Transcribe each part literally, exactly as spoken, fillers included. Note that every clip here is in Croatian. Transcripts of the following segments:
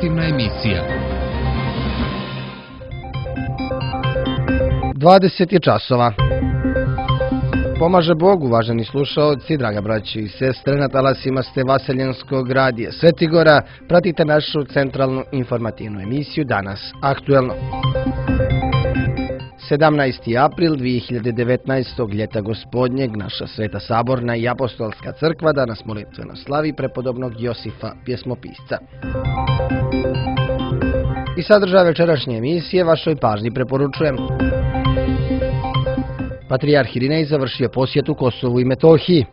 Informativna emisija. dvadeset je časova. Pomaže Bog, uvaženi slušaoci, draga braći i sestre, na talasima ste Vaseljenskog radija Svetigora. Pratite našu centralnu informativnu emisiju Danas aktuelno. sedamnaesti april dvije hiljade devetnaestog. ljeta gospodnjeg, naša Sveta Saborna i Apostolska crkva danas molitveno slavi prepodobnog Josifa pjesmopisca. I sadržaj večerašnje emisije vašoj pažnji preporučujem. Patrijarh Irinej završio posjetu Kosovu i Metohiji.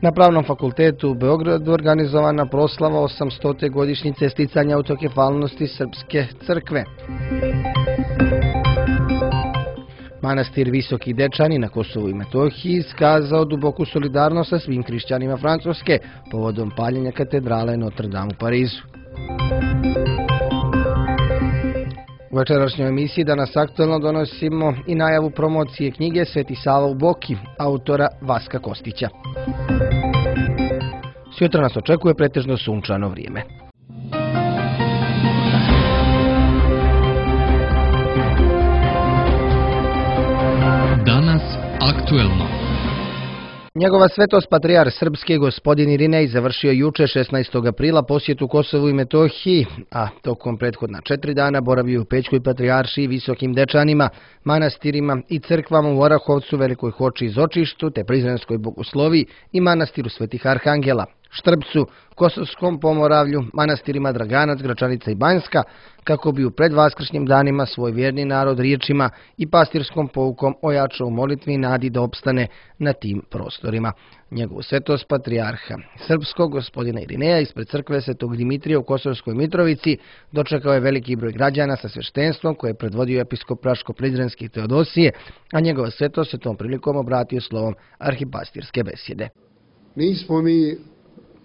Na Pravnom fakultetu u Beogradu organizovana proslava osamstote godišnjice sticanja autokefalnosti Srpske crkve. Manastir Visoki Dečani na Kosovu i Metohiji iskazao duboku solidarnost sa svim hrišćanima Francuske povodom paljenja katedrale Notre Dame u Parizu. U večerašnjoj emisiji danas aktuelno donosimo i najavu promocije knjige Sveti Sava u Boki, autora Vaska Kostića. Sutra nas očekuje pretežno sunčano vrijeme. Danas aktuelno. Njegova svetost patrijarh srpski gospodin Irinej završio juče šesnaestog aprila posjetu Kosovu i Metohiji, a tokom prethodna četiri dana boravio u Pećkoj patrijaršiji, Visokim Dečanima, manastirima i crkvama u Orahovcu, Velikoj Hoči i Zočištu, te Prizrenskoj Bogosloviji i manastiru Svetih Arhangela, Štrbcu, Kosovskom Pomoravlju, manastirima Draganac, Gračanica i Banjska, kako bi u predvaskršnjim danima svoj vjerni narod riječima i pastirskom poukom ojačao u molitvi i nadi da opstane na tim prostorima. Njegovu svetost patrijarha srpskog gospodina Irineja ispred crkve Svetog Dimitrija u Kosovskoj Mitrovici dočekao je veliki broj građana sa sveštenstvom koje je predvodio episkop Praško-Prizrenski Teodosije, a njegova svetost se tom prilikom obratio slovom arhipastirske besjede. Nismo mi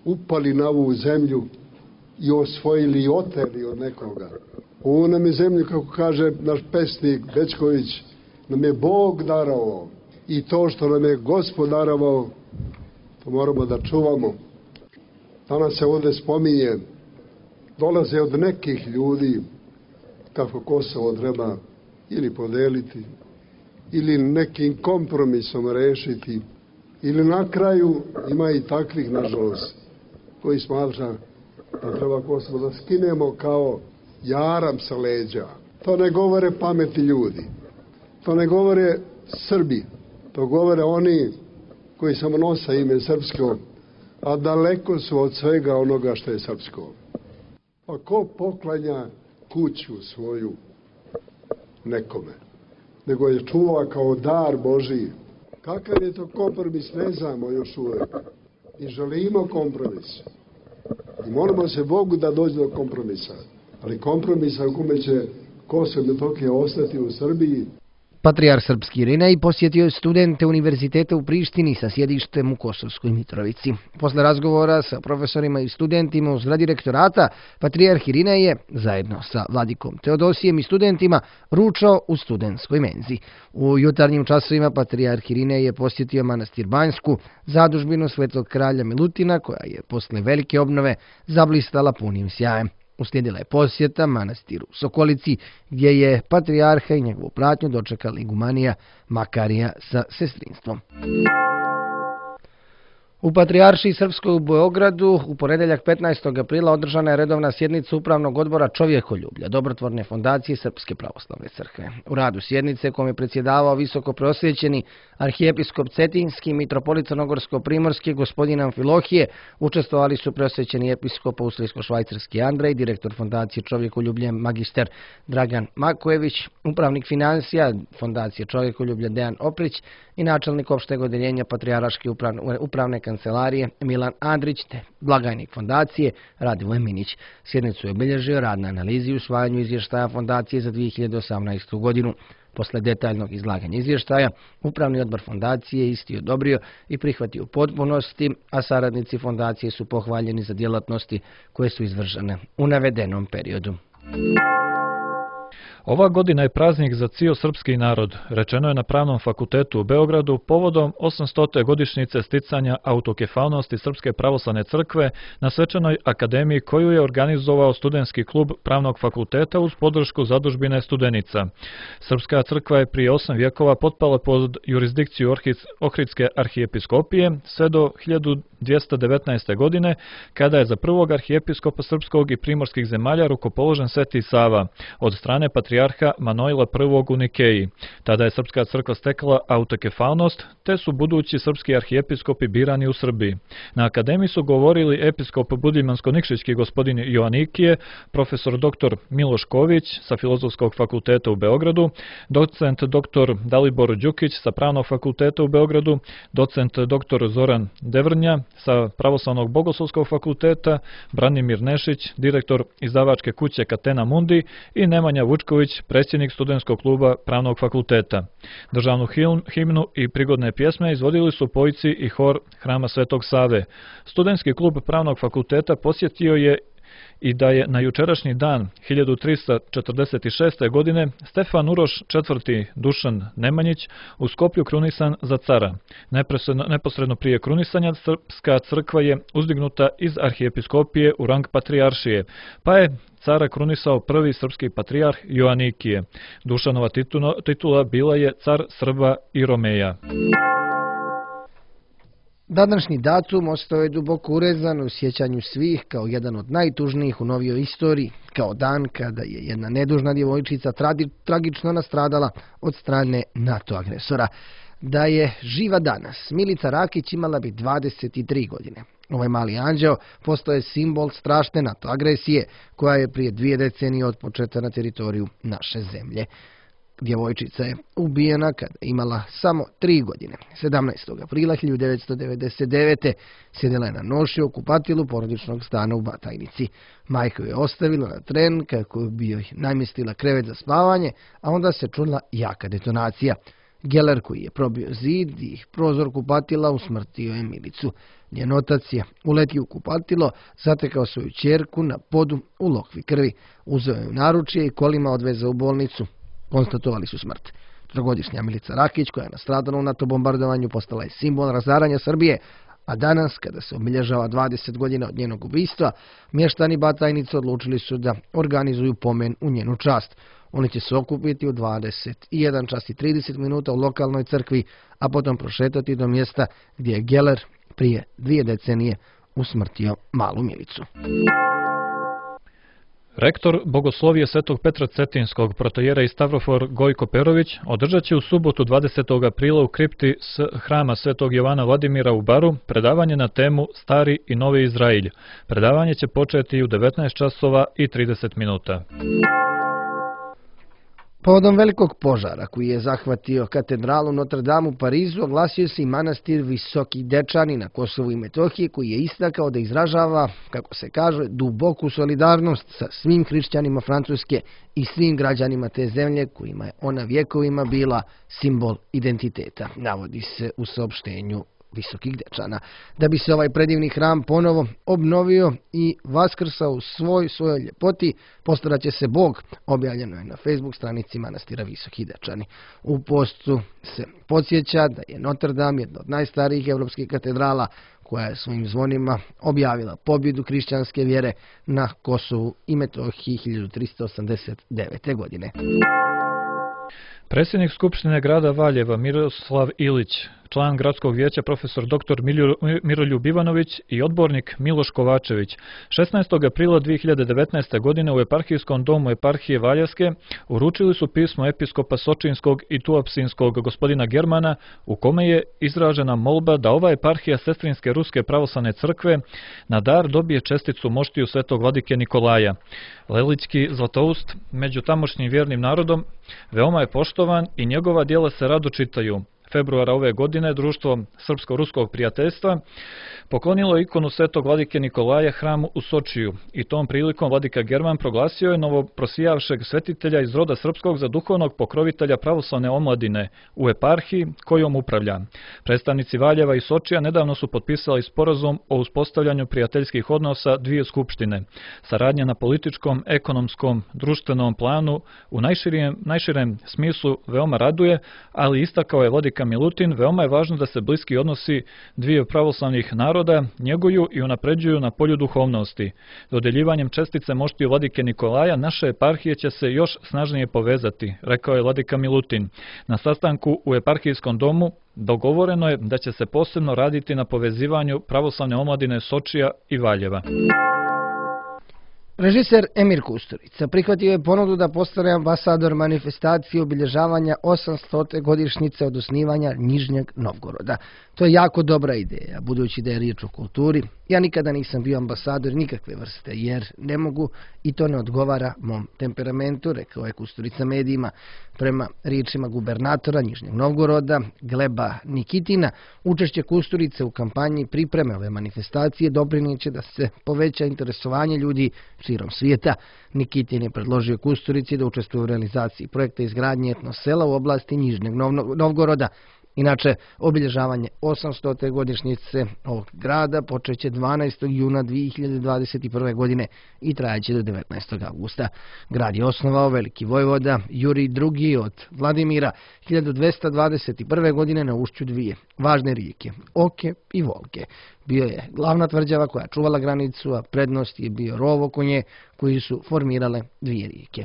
upali na ovu zemlju i osvojili i oteli od nekoga. Ovo nam je zemlju, kako kaže naš pesnik Bečković, nam je Bog darovao. I to što nam je Gospod darovao, to moramo da čuvamo. Danas se ovdje spominje, dolaze od nekih ljudi kako Kosovo treba ili podeliti, ili nekim kompromisom rešiti, ili na kraju ima i takvih, nažalost, koji smatra da treba Kosovo da skinemo kao jaram sa leđa. To ne govore pametni ljudi. To ne govore Srbi. To govore oni koji samo nose ime srpsko, a daleko su od svega onoga što je srpsko. A ko poklanja kuću svoju nekome, nego je čuva kao dar Božiji. Kakav je to kompromis, ne znamo još uvijek. I želimo kompromis. I molimo se Bogu da dođe do kompromisa. Ali kompromisa u kome će Kosovo i Metohija ostati u Srbiji. Patrijarh srpski Irinej posjetio je studente univerziteta u Prištini sa sjedištem u Kosovskoj Mitrovici. Posle razgovora sa profesorima i studentima u zgradi rektorata, patrijarh Irinej je, zajedno sa vladikom Teodosijem i studentima, ručao u studentskoj menzi. U jutarnjim časovima patrijarh Irinej je posjetio manastir Banjsku, zadužbinu svetog kralja Milutina, koja je posle velike obnove zablistala punim sjajem. Uslijedila je posjeta manastiru u Sokolici, gdje je patrijarha i njegovu pratnju dočekala igumanija Makarija sa sestrinstvom. U Patrijaršiji Srpskoj u Beogradu u ponedeljak petnaestog aprila održana je redovna sjednica Upravnog odbora čovjekoljublja Dobrotvorne fondacije Srpske pravoslavne crkve. U radu sjednice, kom je predsjedavao visoko prosvjećeni arhijepiskop Cetinski, mitropolit Crnogorsko-primorski gospodin Amfilohije, učestvovali su prosvjećeni episkop austrijsko-švajcarski Andrej, direktor fondacije čovjekoljublje magister Dragan Makojević, upravnik financija fondacije čovjekoljublja Dejan Oprić i načelnik opšteg odeljenja Patrijarške upravne, upravne kancelarije Milan Andrić te blagajnik fondacije Radivoje Minić. Sjednicu je obilježio rad na analizi i usvajanju izvještaja fondacije za dvije hiljade osamnaestu. godinu. Posle detaljnog izlaganja izvještaja, Upravni odbor fondacije isti odobrio i prihvatio u potpunosti, a saradnici fondacije su pohvaljeni za djelatnosti koje su izvršene u navedenom periodu. Ova godina je praznik za cijel srpski narod, rečeno je na Pravnom fakultetu u Beogradu povodom osamstote godišnjice sticanja autokefalnosti Srpske pravoslavne crkve na svečanoj akademiji koju je organizovao studentski klub Pravnog fakulteta uz podršku zadužbine Studenica. Srpska crkva je prije osam vjekova potpala pod jurisdikciju Ohridske arhijepiskopije sve do hiljadu dvjesto devetnaeste. godine, kada je za prvog arhijepiskopa srpskog i primorskih zemalja rukopoložen Sveti Sava od strane patrijarha Manojla prvog. u Nikeji. Tada je Srpska crkva stekla autokefalnost, te su budući srpski arhijepiskopi birani u Srbiji. Na akademiji su govorili episkop Budimljansko-Nikšićki gospodin Joanikije, profesor doktor Miloš Ković sa Filozofskog fakulteta u Beogradu, docent doktor Dalibor Đukić sa Pravnog fakulteta u Beogradu, docent doktor Zoran Devrnja sa Pravoslavnog bogoslovskog fakulteta, Branimir Nešić, direktor izdavačke kuće Catena Mundi i Nemanja Vučković, predsjednik studentskog kluba Pravnog fakulteta. Državnu himnu i prigodne pjesme izvodili su pojci i hor Hrama Svetog Save. Studentski klub Pravnog fakulteta posjetio je i da je na jučerašnji dan hiljadu tristo četrdeset šeste. godine Stefan Uroš četvrti. Dušan Nemanjić u Skoplju krunisan za cara. Neposredno, neposredno prije krunisanja Srpska crkva je uzdignuta iz arhijepiskopije u rang patrijaršije, pa je cara krunisao prvi srpski patrijarh Joanikije. Dušanova titula, titula bila je car Srba i Romeja. Današnji datum ostao je duboko urezan u sjećanju svih kao jedan od najtužnijih u novijoj istoriji, kao dan kada je jedna nedužna djevojčica tradi, tragično nastradala od strane NATO agresora. Da je živa danas, Milica Rakić imala bi dvadeset tri godine. Ovaj mali anđeo postao je simbol strašne NATO agresije koja je prije dvije decenije otpočeta na teritoriju naše zemlje. Djevojčica je ubijena kada je imala samo tri godine. sedamnaestog aprila hiljadu devetsto devedeset devete. sjedila je na noši u kupatilu porodičnog stana u Batajnici. Majka je ostavila na tren kako bi joj namjestila krevet za spavanje, a onda se čula jaka detonacija. Geler koji je probio zid i prozor kupatila usmrtio je Milicu. Njen otac je uletio u kupatilo, zatekao svoju ćerku na podu u lokvi krvi. Uzeo je u naručje i kolima odvezao u bolnicu. Konstatovali su smrt. Trogodišnja Milica Rakić, koja je nastradala u NATO bombardovanju, postala je simbol razaranja Srbije, a danas, kada se obilježava dvadeset godina od njenog ubistva, mještani Batajnice odlučili su da organizuju pomen u njenu čast. Oni će se okupiti u dvadeset jedan čas i trideset minuta u lokalnoj crkvi, a potom prošetati do mjesta gdje je Geler prije dvije decenije usmrtio malu Milicu. Rektor Bogoslovije Svetog Petra Cetinskog, protojera i Stavrofor Gojko Perović, održat će u subotu dvadesetog aprila u kripti s Hrama Svetog Jovana Vladimira u Baru predavanje na temu Stari i Novi Izrailj. Predavanje će početi u devetnaest časova i trideset minuta. Povodom velikog požara koji je zahvatio katedralu Notre Dame u Parizu, oglasio se i manastir Visoki Dečani na Kosovu i Metohiji, koji je istakao da izražava, kako se kaže, duboku solidarnost sa svim hrišćanima Francuske i svim građanima te zemlje kojima je ona vjekovima bila simbol identiteta, navodi se u saopštenju Visokih Dečana. Da bi se ovaj predivni hram ponovo obnovio i vaskrsao u svoj svojoj ljepoti, postarat će se Bog, objavljeno je na Facebook stranici manastira Visoki Dečani. U postu se podsjeća da je Notre Dame jedna od najstarijih evropskih katedrala koja je svojim zvonima objavila pobjedu hrišćanske vjere na Kosovu i Metohiji hiljadu tristo osamdeset devete. godine. Predsjednik Skupštine grada Valjeva Miroslav Ilić, član gradskog vijeća profesor doktor Miroljub Ivanović i odbornik Miloš Kovačević šesnaestog aprila dvije hiljade devetnaeste. godine u eparhijskom domu eparhije Valjevske uručili su pismo episkopa Sočinskog i Tuapsinskog gospodina Germana u kome je izražena molba da ova eparhija Sestrinske Ruske pravoslavne crkve na dar dobije česticu moštiju svetog vladike Nikolaja. Lelićki Zlatoust među tamošnjim vjernim narodom veoma je poštovan i njegova djela se rado čitaju. februara ove godine društvo Srpsko-ruskog prijateljstva poklonilo ikonu svetog vladike Nikolaja hramu u Sočiju i tom prilikom vladika German proglasio je novoprosijavšeg svetitelja iz roda srpskog za duhovnog pokrovitelja pravoslavne omladine u eparhiji kojom upravlja. Predstavnici Valjeva i Sočija nedavno su potpisali sporazum o uspostavljanju prijateljskih odnosa dvije skupštine. Saradnja na političkom, ekonomskom, društvenom planu u najširijem, najširem smislu veoma raduje, ali istakao je vladika Milutin, veoma je važno da se bliski odnosi dviju pravoslavnih naroda njeguju i unapređuju na polju duhovnosti. Dodeljivanjem čestice moštiju vladike Nikolaja naše eparhije će se još snažnije povezati, rekao je vladika Milutin. Na sastanku u eparhijskom domu dogovoreno je da će se posebno raditi na povezivanju pravoslavne omladine Sočija i Valjeva. Režiser Emir Kusturica prihvatio je ponudu da postane ambasador manifestacije obilježavanja osamstote godišnjice od osnivanja Nižnjeg Novgoroda. To je jako dobra ideja, budući da je riječ o kulturi. Ja nikada nisam bio ambasador nikakve vrste, jer ne mogu i to ne odgovara mom temperamentu, rekao je Kusturica medijima. Prema riječima gubernatora Nižnjeg Novgoroda, Gleba Nikitina, učešće Kusturice u kampanji pripreme ove manifestacije doprinijeće da se poveća interesovanje ljudi širom svijeta. Nikitin je predložio Kusturici da učestvuje u realizaciji projekta izgradnje etno sela u oblasti Nižnjeg Novgoroda. Inače, obilježavanje osamstote godišnjice ovog grada počeće dvanaestog juna dvije hiljade dvadeset prve. godine i trajaće do devetnaestog avgusta. Grad je osnovao veliki vojvoda Jurij drugi od Vladimira hiljadu dvesta dvadeset prve. godine na ušću dvije važne rijeke, Oke i Volke. Bio je glavna tvrđava koja čuvala granicu, a prednost je bio rov oko nje koji su formirale dvije rijeke.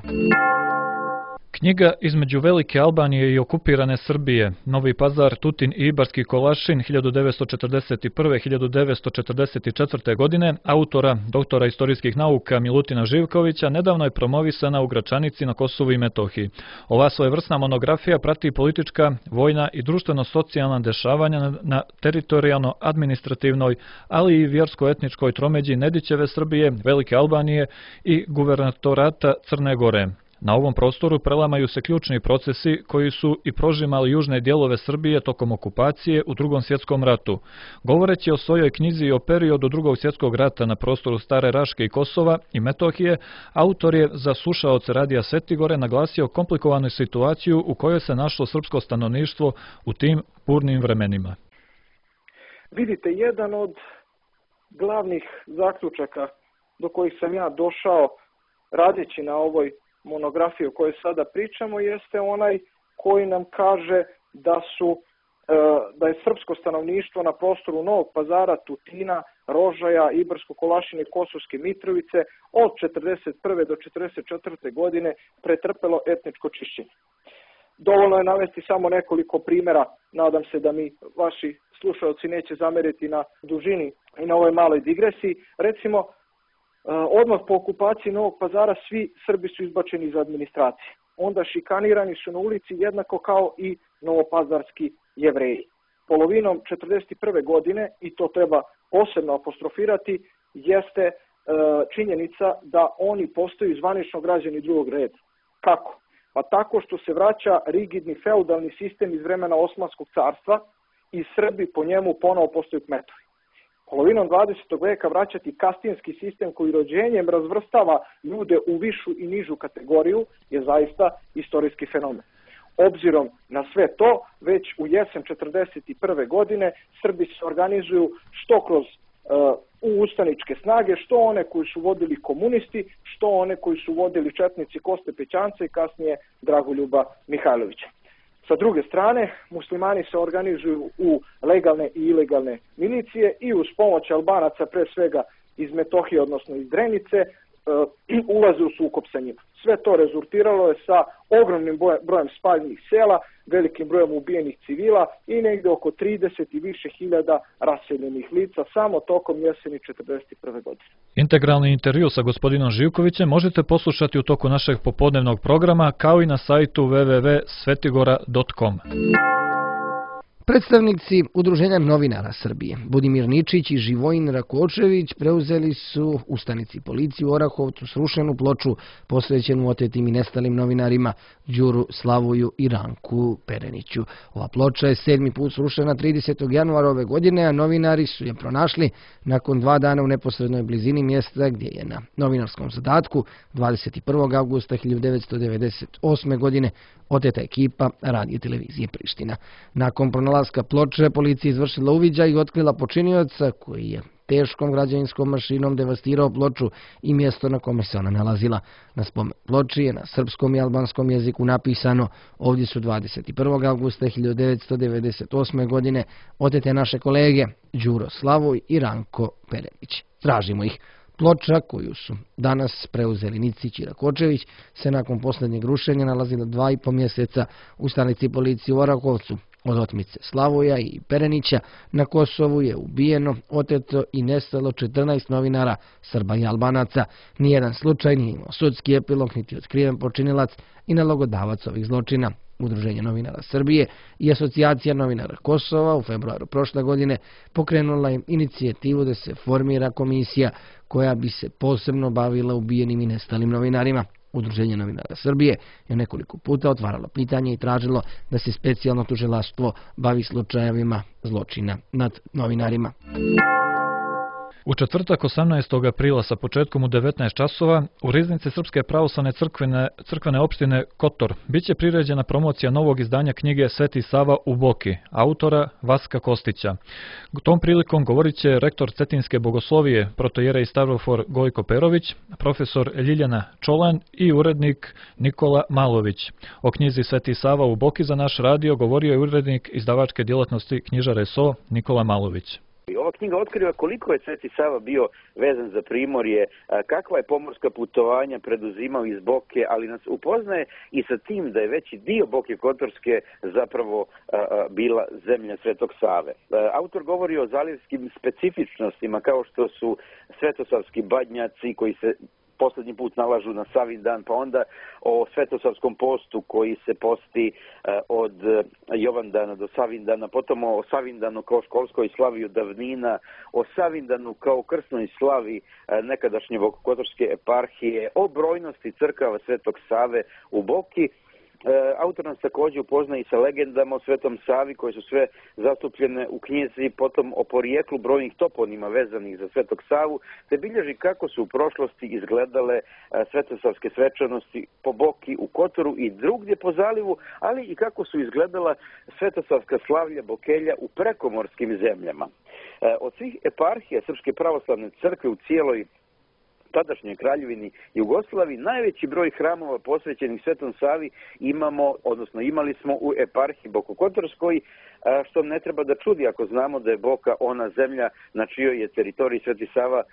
Knjiga Između Velike Albanije i okupirane Srbije, Novi Pazar, Tutin i Ibarski Kolašin hiljadu devetsto četrdeset prve do hiljadu devetsto četrdeset četvrte. godine, autora, doktora istorijskih nauka Milutina Živkovića, nedavno je promovisana u Gračanici na Kosovu i Metohiji. Ova svojevrsna monografija prati politička, vojna i društveno-socijalna dešavanja na teritorijalno-administrativnoj, ali i vjersko-etničkoj tromeđi Nedićeve Srbije, Velike Albanije i guvernatorata Crne Gore. Na ovom prostoru prelamaju se ključni procesi koji su i prožimali južne dijelove Srbije tokom okupacije u Drugom svjetskom ratu. Govoreći o svojoj knjizi i o periodu Drugog svjetskog rata na prostoru Stare Raške i Kosova i Metohije, autor je za slušaoce Radija Svetigore naglasio komplikovanu situaciju u kojoj se našlo srpsko stanovništvo u tim burnim vremenima. Vidite, jedan od glavnih zaključaka do kojih sam ja došao radeći na ovoj monografiju o kojoj sada pričamo jeste onaj koji nam kaže da su da je srpsko stanovništvo na prostoru Novog Pazara, Tutina, Rožaja, Ibarsko-Kolašine i Kosovske Mitrovice od četrdeset prve do četrdeset četvrte. godine pretrpelo etničko čišćenje. Dovoljno je navesti samo nekoliko primjera, nadam se da mi vaši slušalci neće zameriti na dužini i na ovoj maloj digresiji. Recimo, odmah po okupaciji Novog Pazara svi Srbi su izbačeni iz administracije. Onda šikanirani su na ulici jednako kao i novopazarski Jevreji. Polovinom četrdeset prve. godine, i to treba posebno apostrofirati, jeste činjenica da oni postaju zvanično građani drugog reda. Kako? Pa tako što se vraća rigidni feudalni sistem iz vremena Osmanskog carstva i Srbi po njemu ponovo postaju kmetovi. Polovinom dvadesetog veka vraćati kastinski sistem koji rođenjem razvrstava ljude u višu i nižu kategoriju je zaista istorijski fenomen. Obzirom na sve to, već u jesen četrdeset prve. godine Srbi se organizuju što kroz uh, u ustaničke snage, što one koji su vodili komunisti, što one koji su vodili četnici Koste Pećanca i kasnije Dragoljuba Mihajlovića. Sa druge strane, muslimani se organizuju u legalne i ilegalne milicije i uz pomoć Albanaca, pre svega iz Metohije, odnosno iz Drenice, ulaze u sukob sa njima. Sve to rezultiralo je sa ogromnim brojem spaljenih sela, velikim brojem ubijenih civila i negdje oko trideset i više hiljada raseljenih lica samo tokom jeseni četrdeset prve. godine. Integralni intervju sa gospodinom Živkovićem možete poslušati u toku našeg popodnevnog programa kao i na sajtu w w w tačka svetigora tačka com. Predstavnici Udruženja novinara Srbije, Budimir Ničić i Živojin Rakočević, preuzeli su u stanici policije u Orahovcu srušenu ploču posvećenu otetim i nestalim novinarima Đuru Slavuju i Ranku Pereniću. Ova ploča je sedmi put srušena tridesetog januara ove godine, a novinari su je pronašli nakon dva dana u neposrednoj blizini mjesta gdje je na novinarskom zadatku dvadeset prvog avgusta hiljadu devetsto devedeset osme. godine oteta ekipa Radio televizije Priština. Nakon pronalaska ploče, policija izvršila uviđaj i otkrila počinioca koji je teškom građevinskom mašinom devastirao ploču i mjesto na kome se ona nalazila. Na spomen ploči je na srpskom i albanskom jeziku napisano: ovdje su dvadeset prvog avgusta hiljadu devetsto devedeset osme. godine otete naše kolege Đuro Slavoj i Ranko Perenić. Tražimo ih. Ploča koju su danas preuzeli Nicić i Rakočević se nakon posljednjeg rušenja nalazila dva i po mjeseca u stanici policije u Orahovcu. Od otmice Slavoja i Perenića na Kosovu je ubijeno, oteto i nestalo četrnaest novinara, Srba i Albanaca. Nijedan slučaj nije imao sudski epilog niti otkriven počinilac i nalogodavac ovih zločina. Udruženje novinara Srbije i Asocijacija novinara Kosova u februaru prošle godine pokrenula je inicijativu da se formira komisija koja bi se posebno bavila ubijenim i nestalim novinarima. Udruženje novinara Srbije je nekoliko puta otvaralo pitanje i tražilo da se specijalno tužilaštvo bavi slučajevima zločina nad novinarima. U četvrtak osamnaestog aprila sa početkom u devetnaest časova u riznici Srpske pravoslavne crkvene, crkvene opštine Kotor biće priređena promocija novog izdanja knjige Sveti Sava u Boki, autora Vaska Kostića. Tom prilikom govorit će rektor Cetinske bogoslovije, protojerej Stavrofor Gojko Perović, profesor Ljiljana Čolan i urednik Nikola Malović. O knjizi Sveti Sava u Boki za naš radio govorio je urednik izdavačke djelatnosti knjižare S O Nikola Malović. Ova knjiga otkriva koliko je Sveti Sava bio vezan za Primorje, kakva je pomorska putovanja preduzimao iz Boke, ali nas upoznaje i sa tim da je veći dio Boke Kotorske zapravo bila zemlja Svetog Save. Autor govori o zalivskim specifičnostima kao što su svetosavski badnjaci koji se posljednji put nalažu na Savindan, pa onda o Svetosavskom postu koji se posti od Jovandana do Savindana, potom o Savindanu kao školskoj slavi od davnina, o Savindanu kao krsnoj slavi nekadašnje Kotorske eparhije, o brojnosti crkava Svetog Save u Boki. Autor nas također upozna i sa legendama o Svetom Savi koje su sve zastupljene u knjizi, potom o porijeklu brojnih toponima vezanih za Svetog Savu, te bilježi kako su u prošlosti izgledale svetosavske svečanosti po Boki, u Kotoru i drugdje po zalivu, ali i kako su izgledala svetosavska slavlja Bokelja u prekomorskim zemljama. Od svih eparhija Srpske pravoslavne crkve u cijeloj tadašnjoj kraljevini Jugoslaviji najveći broj hramova posvećenih Svetom Savi imamo, odnosno imali smo u eparhiji Bokokotorskoj, što ne treba da čudi ako znamo da je Boka ona zemlja na čijoj je teritoriji Sveti Sava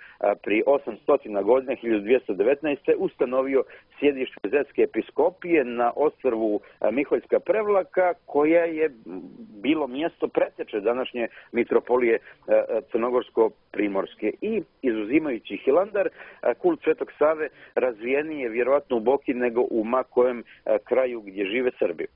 pri osamsto godina, hiljadu dvjesto devetnaeste. ustanovio sjedište Zetske episkopije na ostrvu Miholjska Prevlaka, koja je bilo mjesto preteče današnje mitropolije Crnogorsko-Primorske. I izuzimajući Hilandar, kult Svetog Save razvijeniji je vjerojatno u Boki nego u ma kojem kraju gdje žive Srbi.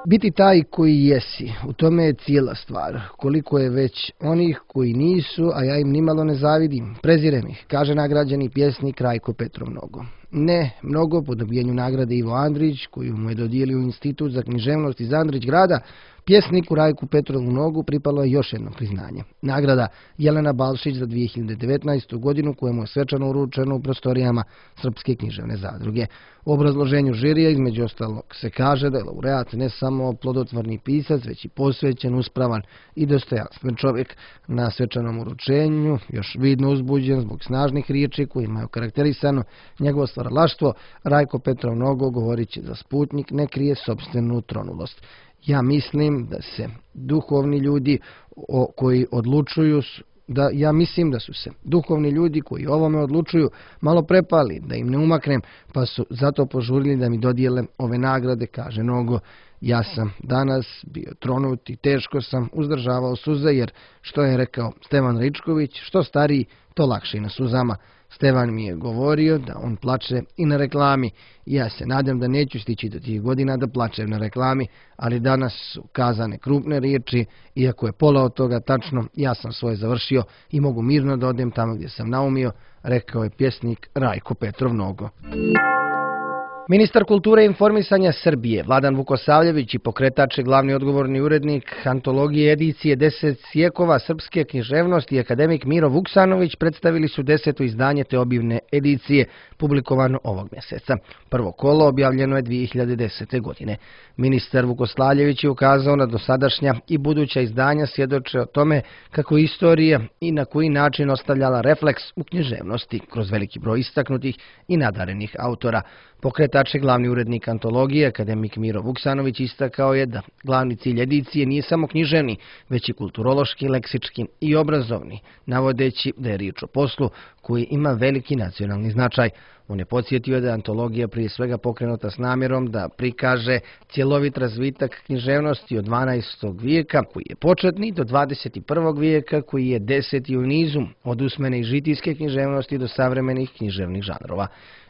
Biti taj koji jesi, u tome je cijela stvar. Koliko je već onih koji nisu, a ja im nimalo ne zavidim, prezirem ih, kaže nagrađeni pjesnik Rajko Petrov Mnogo. Ne mnogo po dobijenju nagrade Ivo Andrić, koju mu je dodijelio Institut za književnost iz Andrić grada, pjesniku Rajku Petrovu Mnogu pripalo je još jedno priznanje. Nagrada Jelena Balšić za dvije hiljade devetnaestu. godinu, kojemu je svečano uručeno u prostorijama Srpske književne zadruge. U obrazloženju žirija između ostalog se kaže da je laureat ne samo plodotvorni pisac, već i posvećen, uspravan i dostojanstven čovjek. Na svečanom uručenju, još vidno uzbuđen zbog snažnih riječi kojima je okarakterisano njegovo stvaralaštvo, Rajko Petrov Mnogo govorit će za Sputnik ne krije sopstvenu tronulost. Ja mislim da se duhovni ljudi o, koji odlučuju, da ja mislim da su se duhovni ljudi koji o ovome odlučuju malo prepali, da im ne umaknem, pa su zato požurili da mi dodijele ove nagrade, kaže Nogo. Ja sam danas bio tronut i teško sam uzdržavao suze jer, što je rekao Stevan Ričković, što stariji, to lakše i na suzama. Stevan mi je govorio da on plače i na reklami. Ja se nadam da neću stići do tih godina da plačem na reklami, ali danas su kazane krupne riječi, iako je pola od toga tačno, ja sam svoje završio i mogu mirno da odem tamo gdje sam naumio, rekao je pjesnik Rajko Petrov Nogo. Ministar kulture i informisanja Srbije, Vladan Vukosavljević i pokretač i glavni odgovorni urednik antologije edicije Deset sjekova srpske književnosti, akademik Miro Vuksanović, predstavili su deseto izdanje te obimne edicije, publikovano ovog mjeseca. Prvo kolo objavljeno je dvije hiljade desete. godine. Ministar Vukosavljević je ukazao na dosadašnja i buduća izdanja svjedoče o tome kako istorija i na koji način ostavljala refleks u književnosti kroz veliki broj istaknutih i nadarenih autora. Pokretač i glavni urednik antologije, akademik Miro Vuksanović, istakao je da glavni cilj edicije nije samo književni, već i kulturološki, leksički i obrazovni, navodeći da je riječ o poslu koji ima veliki nacionalni značaj. On je podsjetio da je antologija prije svega pokrenuta s namjerom da prikaže cjelovit razvitak književnosti od dvanaestog vijeka, koji je početni, do dvadeset prvog vijeka, koji je deseti u nizu, od usmene i žitijske književnosti do savremenih književnih žanrova.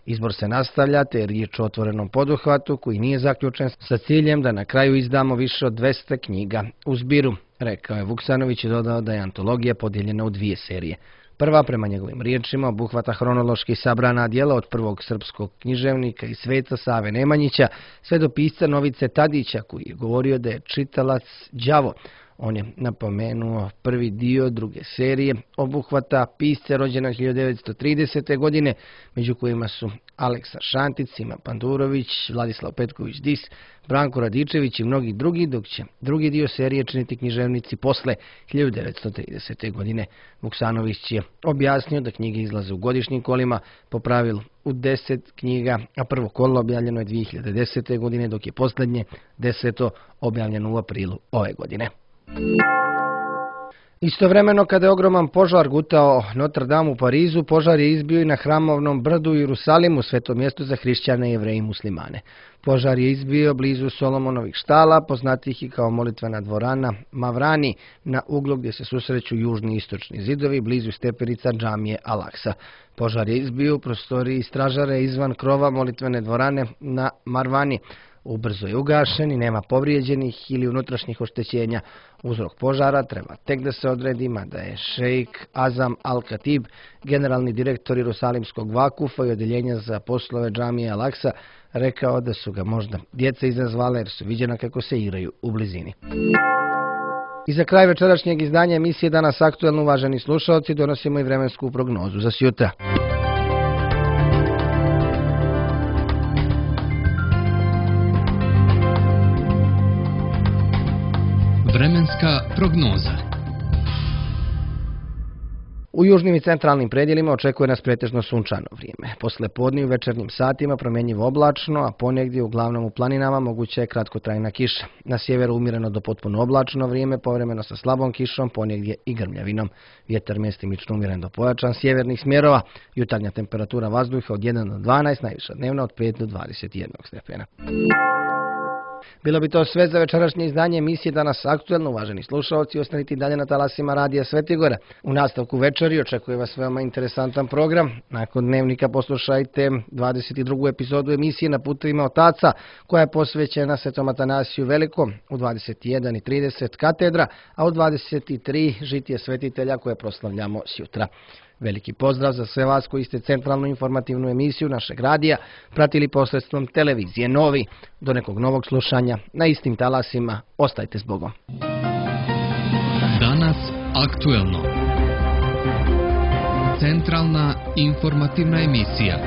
Izbor se nastavlja, te je riječ o otvorenom poduhvatu koji nije zaključen sa ciljem da na kraju izdamo više od dvesta knjiga u zbiru, rekao je Vuksanović i dodao da je antologija podijeljena u dvije serije. Prva, prema njegovim riječima, obuhvata hronološki sabrana djela od prvog srpskog književnika i sveca Save Nemanjića sve do pisca Novice Tadića, koji je govorio da je čitalac đavo. On je napomenuo prvi dio druge serije obuhvata pisce rođena hiljadu devetsto tridesete. godine, među kojima su Aleksa Šantic, Sima Pandurović, Vladislav Petković Dis, Branko Radičević i mnogi drugi, dok će drugi dio serije činiti književnici posle hiljadu devetsto tridesete. godine. Vuksanović je objasnio da knjige izlaze u godišnjim kolima, po pravilu u deset knjiga, a prvo kolo objavljeno je dvije hiljade desete. godine, dok je posljednje, deseto, objavljeno u aprilu ove godine. Istovremeno, kada je ogroman požar gutao Notre Dame u Parizu, požar je izbio i na Hramovnom brdu u Jerusalimu, svetom mjestu za hrišćane, jevreje i muslimane. Požar je izbio blizu Solomonovih štala, poznatih i kao molitvena dvorana Mavrani, na uglu gdje se susreću južni i istočni zidovi, blizu stepenica džamije Al-Aksa. Požar je izbio u prostoriji stražara izvan krova molitvene dvorane na Marvani. Ubrzo je ugašen i nema povrijeđenih ili unutrašnjih oštećenja. Uzrok požara treba tek da se odredi, mada je šejk Azam Al-Katib, generalni direktor Jerusalimskog vakufa i odjeljenja za poslove džamije Al-Aksa, rekao da su ga možda djeca izazvala jer su viđena kako se igraju u blizini. I za kraj večerašnjeg izdanja emisije Danas aktuelno, uvaženi slušalci, donosimo i vremensku prognozu za sutra. Vremenska prognoza. U južnim i centralnim predjelima očekuje nas pretežno sunčano vrijeme. Posle podne u večernjim satima promjenjivo oblačno, a ponegdje uglavnom u planinama moguća je kratkotrajna kiša. Na sjeveru umjereno do potpuno oblačno vrijeme, povremeno sa slabom kišom, ponegdje i grmljavinom. Vjetar mjestimično umjeren do pojačan sjevernih smjerova. Jutarnja temperatura vazduha od jedan do dvanaest, najviša dnevna od pet do dvadeset jedan stepena. Bilo bi to sve za večerašnje izdanje emisije Danas aktuelno, uvaženi slušalci, ostanite dalje na talasima Radija Svetigora. U nastavku večeri očekuje vas veoma interesantan program. Nakon dnevnika poslušajte dvadeset drugu epizodu emisije Na putovima otaca, koja je posvećena Svetom Atanasiju Velikom, u dvadeset jedan i trideset katedra, a u dvadeset tri žitije svetitelja koje proslavljamo sjutra. Veliki pozdrav za sve vas koji ste centralnu informativnu emisiju našeg radija pratili posredstvom televizije Novi. Do nekog novog slušanja na istim talasima. Ostajte s Bogom. Danas aktuelno. Centralna informativna emisija.